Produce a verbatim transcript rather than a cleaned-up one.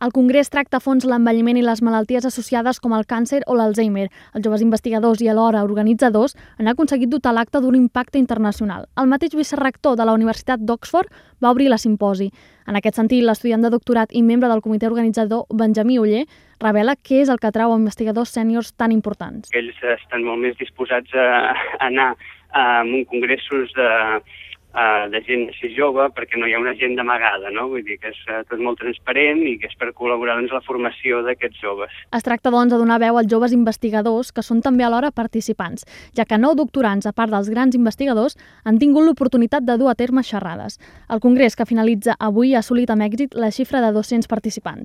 El Congrés tracta a fons l'envelliment i les malalties associades com el càncer o l'Alzheimer. Els joves investigadors i alhora organitzadors han aconseguit dotar l'acte d'un impacte internacional. El mateix vicerector de la Universitat d'Oxford va obrir la simposi. En aquest sentit, l'estudiant de doctorat i membre del comitè organitzador, Benjamí Oller, revela què és el que atrau a investigadors sèniors tan importants. Ells estan molt més disposats a anar a un congressos de... de gent així jove, perquè no hi ha una gent d'amagada, no? Vull dir que és tot molt transparent i que és per col·laborar en la formació d'aquests joves. Es tracta, doncs, de donar veu als joves investigadors, que són també alhora participants, ja que nou doctorants, a part dels grans investigadors, han tingut l'oportunitat de dur a terme xerrades. El congrés, que finalitza avui, ha assolit amb èxit la xifra de dos-cents participants.